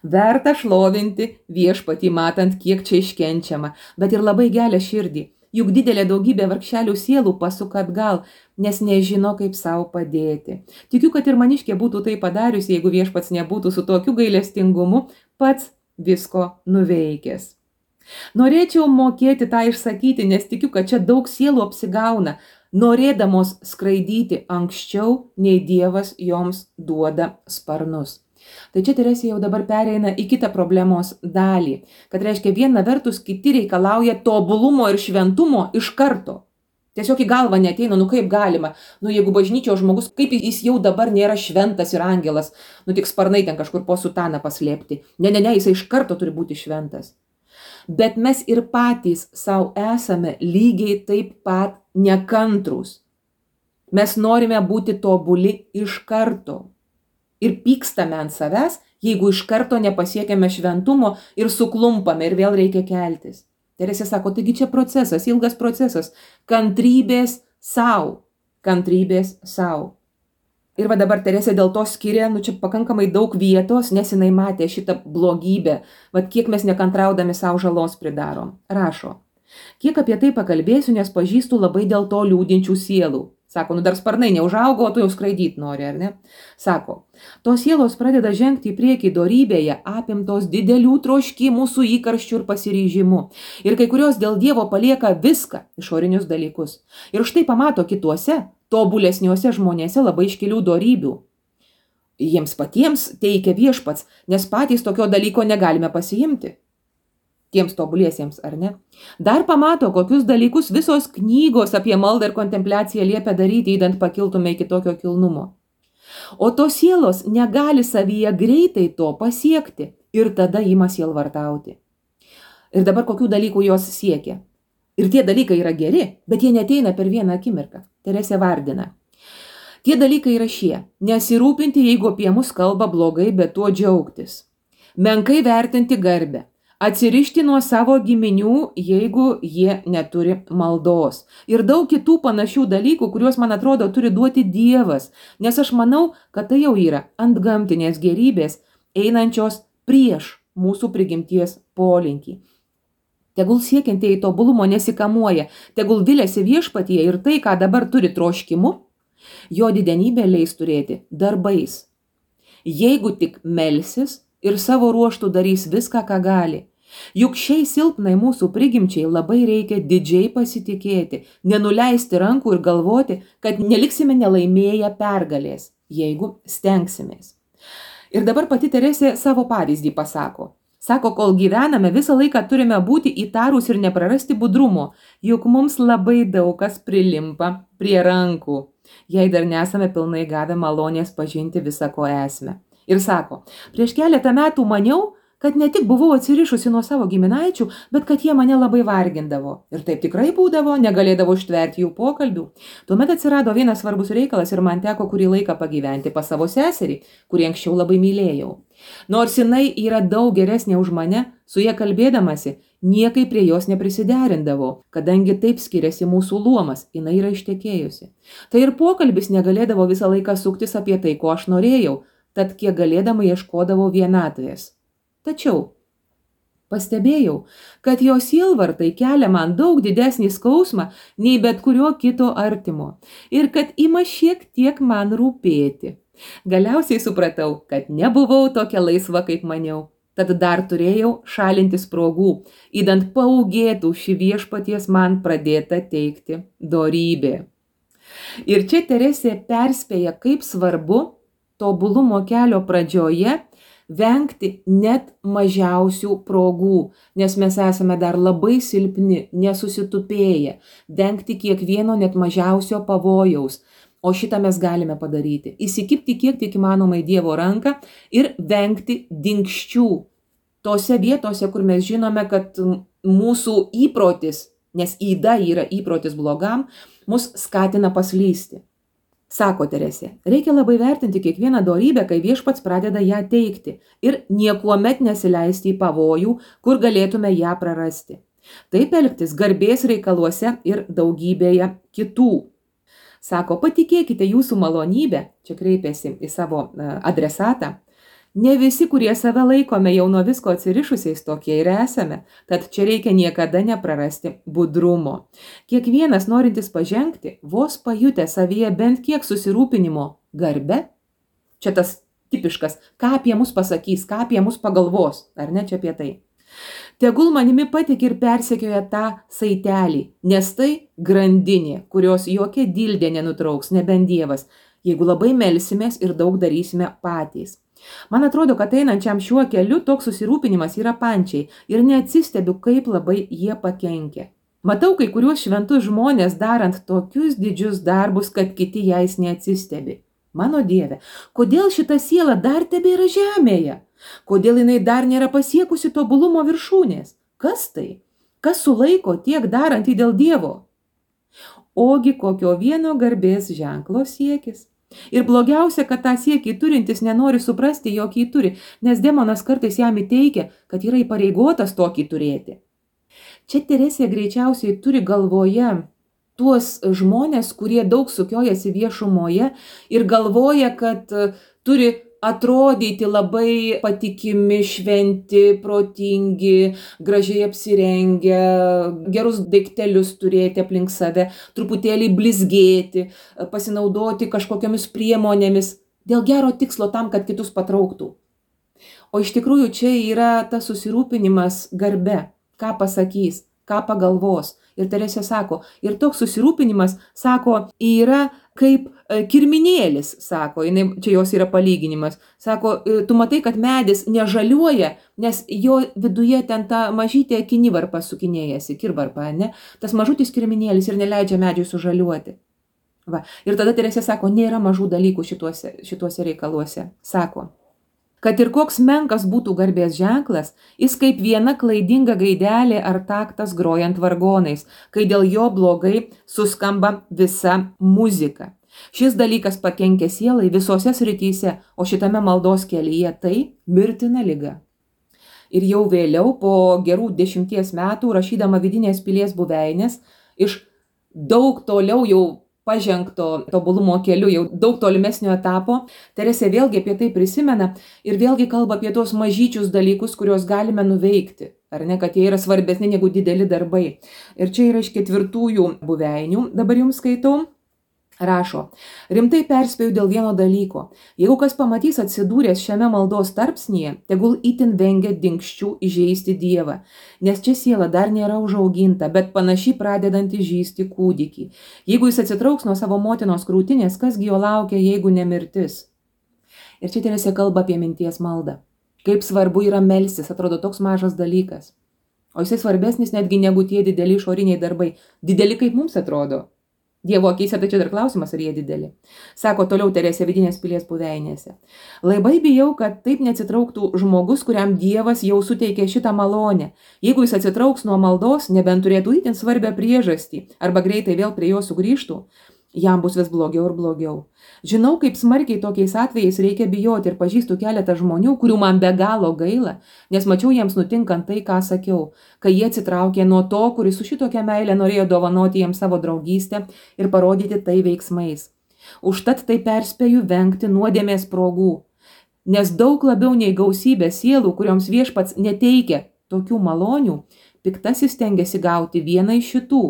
S1: Verta šlovinti viešpatį, matant, kiek čia iškenčiama, bet ir labai gelia širdį. Juk didelė daugybė vargšelių sielų pasuka atgal, nes nežino, kaip savo padėti. Tikiu, kad ir maniškė būtų tai padariusi, jeigu viešpats nebūtų su tokiu gailestingumu pats visko nuveikęs. Norėčiau mokėti tą išsakyti, nes tikiu, kad čia daug sielų apsigauna, norėdamos skraidyti anksčiau, nei Dievas joms duoda sparnus. Tai čia Teresė jau dabar pereina į kitą problemos dalį, kad reiškia viena vertus kiti reikalauja tobulumo ir šventumo iš karto. Tiesiog į galvą neateina, kaip galima, jeigu bažnyčios žmogus, kaip jis jau dabar nėra šventas ir angelas, tik sparnai ten kažkur po sutaną paslėpti. Ne, jisai iš karto turi būti šventas. Bet mes ir patys savo esame lygiai taip pat nekantrūs. Mes norime būti tobuli iš karto. Ir pykstame ant savęs, jeigu iš karto nepasiekėme šventumo ir suklumpame ir vėl reikia keltis. Teresė sako, taigi čia procesas, ilgas procesas, kantrybės sau. Ir va dabar Teresė dėl to skiria, čia pakankamai daug vietos, nes jinai matė šitą blogybę, kiek mes nekantraudami savo žalos pridarom. Rašo, kiek apie tai pakalbėsiu, nes pažįstu labai dėl to liūdinčių sielų. Sako, dar sparnai neužaugo, o tu jau skraidyti nori, ar ne? Sako, tos sielos pradeda žengti į priekį dorybėje, apimtos didelių troškimų su įkarščiu ir pasiryžimu. Ir kai kurios dėl Dievo palieka viską, išorinius dalykus. Ir štai pamato kituose, tobulesniuose žmonėse labai iškilių dorybių. Jiems patiems teikia viešpats, nes patys tokio dalyko negalime pasiimti. Tiems tobuliesiems, ar ne? Dar pamato, kokius dalykus visos knygos apie maldą ir kontempliaciją liepia daryti, įdant pakiltume iki tokio kilnumo. O tos sielos negali savyje greitai to pasiekti ir tada ima sielvartauti. Ir dabar kokių dalykų jos siekia. Ir tie dalykai yra geri, bet jie neteina per vieną akimirką. Teresė vardina. Tie dalykai yra šie. Nesirūpinti, jeigu apie mus kalba blogai, bet tuo džiaugtis. Menkai vertinti garbę. Atsirišti nuo savo giminių, jeigu jie neturi maldos. Ir daug kitų panašių dalykų, kuriuos, man atrodo, turi duoti Dievas. Nes aš manau, kad tai jau yra antgamtinės gerybės, einančios prieš mūsų prigimties polinkį. Tegul siekiantieji tobulumo nesikamuoja, tegul viliasi viešpatyje ir tai, ką dabar turi troškimu, jo didenybė leis turėti darbais. Jeigu tik melsis ir savo ruoštų darys viską, ką gali. Juk šiai silpnai mūsų prigimčiai labai reikia didžiai pasitikėti, nenuleisti rankų ir galvoti, kad neliksime nelaimėję pergalės, jeigu stengsimės. Ir dabar pati Teresė savo pavyzdį pasako. Sako, kol gyvename, visą laiką turime būti įtarūs ir neprarasti budrumo, juk mums labai daug kas prilimpa prie rankų, jei dar nesame pilnai gavę malonės pažinti visą ko esmę. Ir sako, prieš keletą metų maniau, kad ne tik buvau atsirišusi nuo savo giminaičių, bet kad jie mane labai vargindavo. Ir taip tikrai būdavo, negalėdavo ištverti jų pokalbių. Tuomet atsirado vienas svarbus reikalas ir man teko kurį laiką pagyventi pas savo seserį, kurį anksčiau labai mylėjau. Nors jinai yra daug geresnė už mane, su ja kalbėdamasi, niekai prie jos neprisiderindavo, kadangi taip skiriasi mūsų luomas, jinai yra ištekėjusi. Tai ir pokalbis negalėdavo visą laiką suktis apie tai, ko aš norėjau, tad kiek galėdama ieškodavau vienatvės. Tačiau pastebėjau, kad jo sielvartai kelia man daug didesnį skausmą nei bet kurio kito artimo ir kad ima šiek tiek man rūpėti. Galiausiai supratau, kad nebuvau tokia laisva, kaip maniau. Tad dar turėjau šalinti sprogų, įdant paūgėtų šį viešpaties man pradėtą teikti dorybė. Ir čia Teresė perspėja, kaip svarbu tobulumo kelio pradžioje vengti net mažiausių progų, nes mes esame dar labai silpni, nesusitupėję, vengti kiekvieno net mažiausio pavojaus, o šitą mes galime padaryti. Įsikibti kiek tik įmanomai Dievo ranką ir vengti dinkščių tose vietose, kur mes žinome, kad mūsų įprotis, nes yda yra įprotis blogam, mus skatina paslysti. Sako Teresė, reikia labai vertinti kiekvieną dorybę, kai viešpats pradeda ją teikti ir niekuomet nesileisti į pavojų, kur galėtume ją prarasti. Taip elgtis garbės reikaluose ir daugybėje kitų. Sako, patikėkite jūsų malonybę, čia kreipėsi į savo adresatą, ne visi, kurie save laikome jau nuo visko atsirišusiais, tokie ir esame, tad čia reikia niekada neprarasti budrumo. Kiekvienas norintis pažengti, vos pajutę savyje bent kiek susirūpinimo garbe, čia tas tipiškas, ką apie mus pasakys, ką apie mus pagalvos, ar ne čia apie tai. Tegul manimi patik ir persekioja tą saitelį, nes tai grandinė, kurios jokia dildė nenutrauks, nebent Dievas, jeigu labai melsimės ir daug darysime patys. Man atrodo, kad einančiam šiuo keliu toks susirūpinimas yra pančiai ir neatsistebiu, kaip labai jie pakenkia. Matau kai kuriuos šventus žmonės darant tokius didžius darbus, kad kiti jais neatsistebi. Mano Dieve, kodėl šita siela dar tebėra žemėje? Kodėl jinai dar nėra pasiekusi tobulumo viršūnės? Kas tai? Kas sulaiko tiek darantį dėl Dievo? Ogi kokio vieno garbės ženklo siekis. Ir blogiausia, kad tą siekį turintis nenori suprasti, jog jį turi, nes demonas kartais jam įteikia, kad yra įpareigotas tokį turėti. Čia Teresė greičiausiai turi galvoje tuos žmonės, kurie daug sukiojasi viešumoje ir galvoja, kad turi atrodyti labai patikimi, šventi, protingi, gražiai apsirengę, gerus daiktelius turėti aplink save, truputėlį blizgėti, pasinaudoti kažkokiamis priemonėmis dėl gero tikslo tam, kad kitus patrauktų. O iš tikrųjų čia yra tas susirūpinimas garbe, ką pasakys, ką pagalvos. Ir Teresė sako, ir toks susirūpinimas, sako, yra kaip kirminėlis, sako, čia jos yra palyginimas, sako, tu matai, kad medis nežaliuoja, nes jo viduje ten ta mažytė kinivarpa sukinėjasi, kirvarpa, ne? Tas mažutis kirminėlis ir neleidžia medžiui sužaliuoti. Va. Ir tada Teresė sako, nėra mažų dalykų šituose reikaluose. Sako, kad ir koks menkas būtų garbės ženklas, jis kaip viena klaidinga gaidelė ar taktas grojant vargonais, kai dėl jo blogai suskamba visa muzika. Šis dalykas pakenkia sielai visose srityse, o šitame maldos kelyje tai mirtina liga. Ir jau vėliau, po gerų 10 metų, rašydama Vidinės pilies buveinės, iš daug toliau jau pažengto tobulumo keliu, jau daug tolimesnio etapo, Teresė vėlgi apie tai prisimena ir vėlgi kalba apie tos mažyčius dalykus, kuriuos galime nuveikti, ar ne, kad jie yra svarbesni negu dideli darbai. Ir čia yra iš 4 buveinių, dabar jums skaitau. Rašo, rimtai perspėju dėl vieno dalyko. Jeigu kas pamatys atsidūręs šiame maldos tarpsnyje, tegul itin vengia dinkščių įžeisti Dievą, nes čia siela dar nėra užauginta, bet panašiai pradedanti žįsti kūdikį. Jeigu jis atsitrauks nuo savo motinos krūtinės, kasgi jo laukia, jeigu ne mirtis? Ir čia Teresė kalba apie minties maldą. Kaip svarbu yra melstis, atrodo toks mažas dalykas. O jisai svarbesnis netgi negu tie dideli išoriniai darbai. Dideli kaip mums atrodo. Dievo akyse, tai čia dar klausimas, ar jie dideli. Sako toliau Teresė Vidinės pilies buveinėse. Labai bijau, kad taip neatsitrauktų žmogus, kuriam Dievas jau suteikė šitą malonę. Jeigu jis atsitrauks nuo maldos, nebent turėtų itin svarbią priežastį, arba greitai vėl prie jo sugrįžtų, jam bus vis blogiau ir blogiau. Žinau, kaip smarkiai tokiais atvejais reikia bijoti ir pažįstu keletą žmonių, kurių man be galo gaila, nes mačiau jiems nutinkant tai, ką sakiau, kai jie atsitraukė nuo to, kuris su šitokia meilė norėjo dovanoti jiems savo draugystę ir parodyti tai veiksmais. Užtat tai perspėju vengti nuodėmės progų, nes daug labiau nei gausybė sielų, kurioms viešpats neteikia tokių malonių, piktasis stengiasi gauti vieną iš šitų,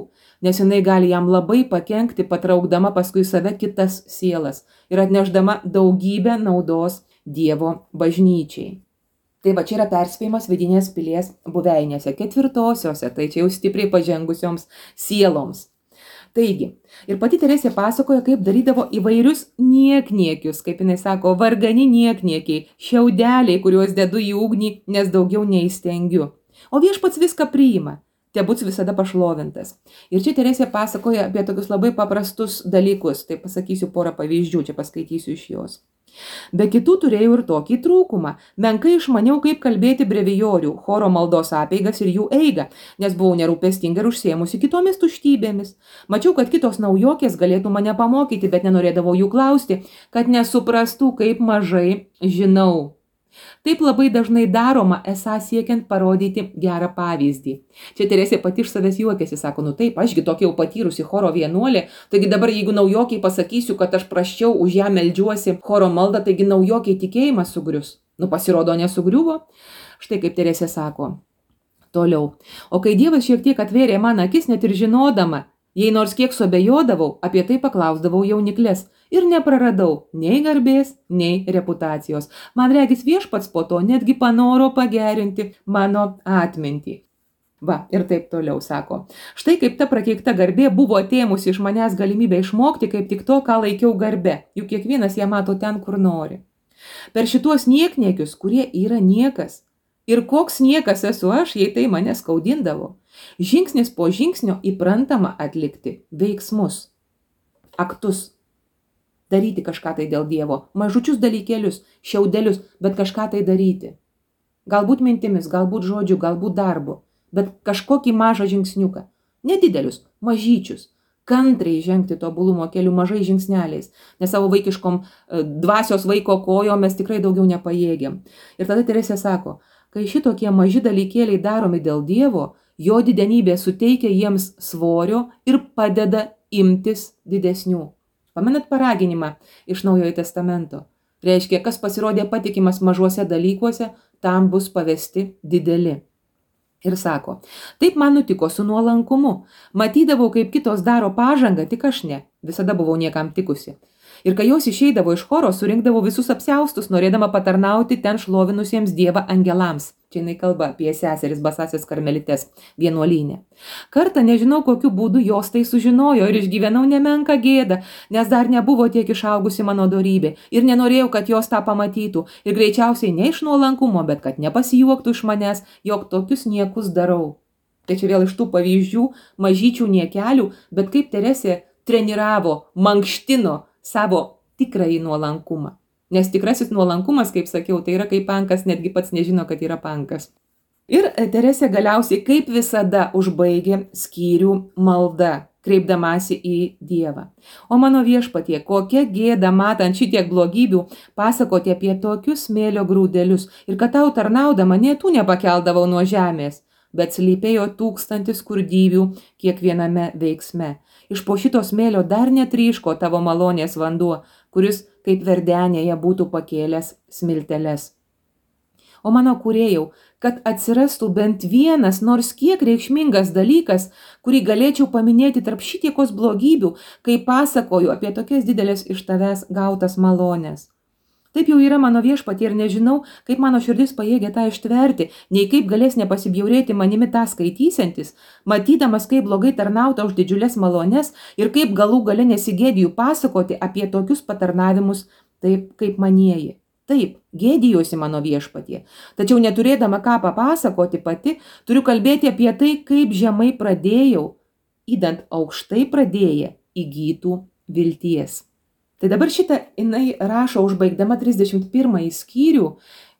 S1: nes jinai gali jam labai pakenkti, patraukdama paskui save kitas sielas ir atnešdama daugybę naudos Dievo bažnyčiai. Tai va čia yra perspėjimas Vidinės pilies buveinėse, 4-osiose, tai čia jau stipriai pažengusioms sieloms. Taigi, ir pati Teresė pasakoja, kaip darydavo įvairius niekniekius, kaip jinai sako, vargani niekniekiai, šiaudeliai, kuriuos dedu į ugnį, nes daugiau neįstengiu. O viešpats viską priima. Tebūt visada pašlovintas. Ir čia Teresė pasakoja apie tokius labai paprastus dalykus. Tai pasakysiu porą pavyzdžių, čia paskaitysiu iš jos. Be kitų turėjau ir tokį trūkumą. Menkai išmaniau, kaip kalbėti brevijorių, choro maldos apeigas ir jų eigą, nes buvau nerūpestinga ir užsiėmusi kitomis tuštybėmis. Mačiau, kad kitos naujokės galėtų mane pamokyti, bet nenorėdavau jų klausti, kad nesuprastų, kaip mažai žinau. Taip labai dažnai daroma, esą siekiant parodyti gerą pavyzdį. Čia Teresė pati iš savęs juokėsi, sako, taip, ašgi tokia jau patyrusi choro vienuolė, taigi dabar jeigu naujokiai pasakysiu, kad aš praščiau už ją meldžiuosi choro maldą, taigi naujokiai tikėjimas sugrius. Pasirodo, nesugriuvo. Štai kaip Teresė sako. Toliau. O kai Dievas šiek tiek atvėrė man akis, net ir žinodama, jei nors kiek suabejodavau, apie tai paklausdavau jauniklės. Ir nepraradau nei garbės, nei reputacijos. Man regis Viešpats po to netgi panoro pagerinti mano atmintį. Va, ir taip toliau sako. Štai kaip ta prakeikta garbė buvo atėmusi iš manęs galimybę išmokti, kaip tik to, ką laikiau garbe. Juk kiekvienas ją mato ten, kur nori. Per šituos niekniekius, kurie yra niekas. Ir koks niekas esu aš, jei tai mane skaudindavo. Žingsnis po žingsnio įprantama atlikti veiksmus, aktus. Daryti kažką tai dėl Dievo, mažučius dalykėlius, šiaudelius, bet kažką tai daryti. Galbūt mintimis, galbūt žodžiu, galbūt darbu, bet kažkokį mažą žingsniuką. Nedidelius, mažyčius. Kantriai žengti tobulumo keliu mažai žingsneliais, nes savo vaikiškom dvasios vaiko kojom mes tikrai daugiau nepajėgiam. Ir tada Teresė sako, kai šitokie maži dalykėliai daromi dėl Dievo, jo didenybė suteikia jiems svorio ir padeda imtis didesnių. Pamenat paraginimą iš Naujojo testamento? Reiškia, kas pasirodė patikimas mažuose dalykuose, tam bus pavesti dideli. Ir sako, taip man nutiko su nuolankumu. Matydavau, kaip kitos daro pažangą, tik aš ne. Visada buvau niekam tikusi. Ir kai jos išeidavo iš choro, surinkdavo visus apsiaustus, norėdama patarnauti ten šlovinusiems Dievą angelams. Čia jinai kalba apie seseris basasias karmelitės vienuolyne. Kartą nežinau, kokiu būdu jos tai sužinojo ir išgyvenau nemenką gėdą, nes dar nebuvo tiek išaugusi mano dorybė ir nenorėjau, kad jos tą pamatytų. Ir greičiausiai ne iš nuolankumo, bet kad nepasijuoktų iš manęs, jog tokius niekus darau. Tai čia vėl iš tų pavyzdžių mažyčių niekelių, bet kaip Teresė treniravo, mankštino savo tikrąjį nuolankumą. Nes tikrasis nuolankumas, kaip sakiau, tai yra kaip pankas, netgi pats nežino, kad yra pankas. Ir Teresė galiausiai, kaip visada, užbaigė skyrių malda, kreipdamasi į Dievą. O mano Viešpatie, kokia gėda matant šitiek blogybių pasakoti apie tokius smėlio grūdelius ir kad tau tarnaudama nė tų nepakeldavau nuo žemės, bet slypėjo 1000 skurdyvių kiekviename veiksme. Iš po šito smėlio dar netryško tavo malonės vanduo, kuris kaip verdenėje būtų pakėlęs smilteles. O mano kūrėjau, kad atsirastų bent vienas nors kiek reikšmingas dalykas, kurį galėčiau paminėti tarp šitiekos blogybių, kai pasakoju apie tokias didelės iš tavęs gautas malonės. Taip jau yra mano Viešpatie ir nežinau, kaip mano širdis pajėgia tą ištverti, nei kaip galės nepasibjaurėti manimi tą skaitysiantis, matydamas, kaip blogai tarnauta už didžiulės malonės ir kaip galų gale nesigėdiju pasakoti apie tokius patarnavimus taip, kaip manieji. Taip, gėdijuosi mano Viešpatie, tačiau neturėdama ką papasakoti pati, turiu kalbėti apie tai, kaip žemai pradėjau, įdant aukštai pradėję įgytų vilties. Tai dabar šitą jinai rašo užbaigdama 31 skyrių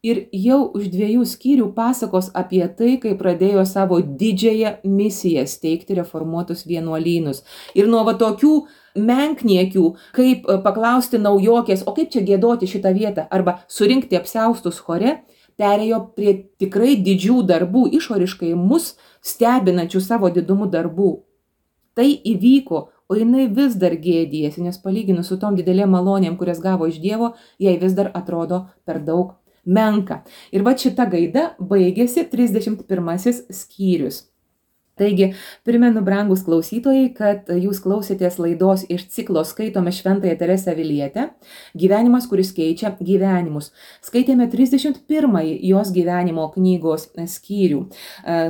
S1: ir jau už 2 skyrių pasakos apie tai, kai pradėjo savo didžiąją misiją steigti reformuotus vienuolynus. Ir nuo va tokių menkniekių, kaip paklausti naujokės, o kaip čia giedoti šitą vietą, arba surinkti apsiaustus chore, perėjo prie tikrai didžių darbų, išoriškai mus stebinančių savo didumu darbų. Tai įvyko, o jinai vis dar gėdijasi, nes palyginus su tom didelėm malonėm, kurias gavo iš Dievo, jai vis dar atrodo per daug menka. Ir va šita gaida baigėsi 31 skyrius. Taigi, primenu, brangus klausytojai, kad jūs klausėtės laidos iš ciklo Skaitome Šventąją Teresę Avilietę, gyvenimas, kuris keičia gyvenimus. Skaitėme 31 jos gyvenimo knygos skyrių.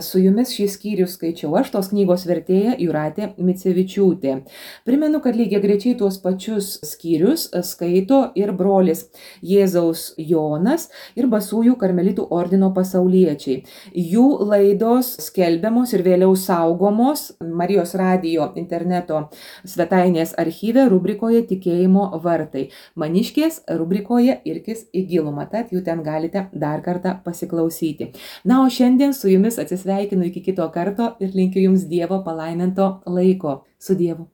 S1: Su jumis šį skyrių skaičiau aš, tos knygos vertėja Jūratė Micevičiūtė. Primenu, kad lygiagrečiai tuos pačius skyrius skaito ir brolis Jėzaus Jonas ir Basųjų karmelitų ordino pasauliečiai. Jų laidos skelbiamos ir vėliau toliau saugomos Marijos radijo interneto svetainės archyve rubrikoje Tikėjimo vartai. Maniškės rubrikoje Irkis į gilumą, tad jų ten galite dar kartą pasiklausyti. Na, o šiandien su jumis atsisveikinu iki kito karto ir linkiu jums Dievo palaiminto laiko. Su Dievu.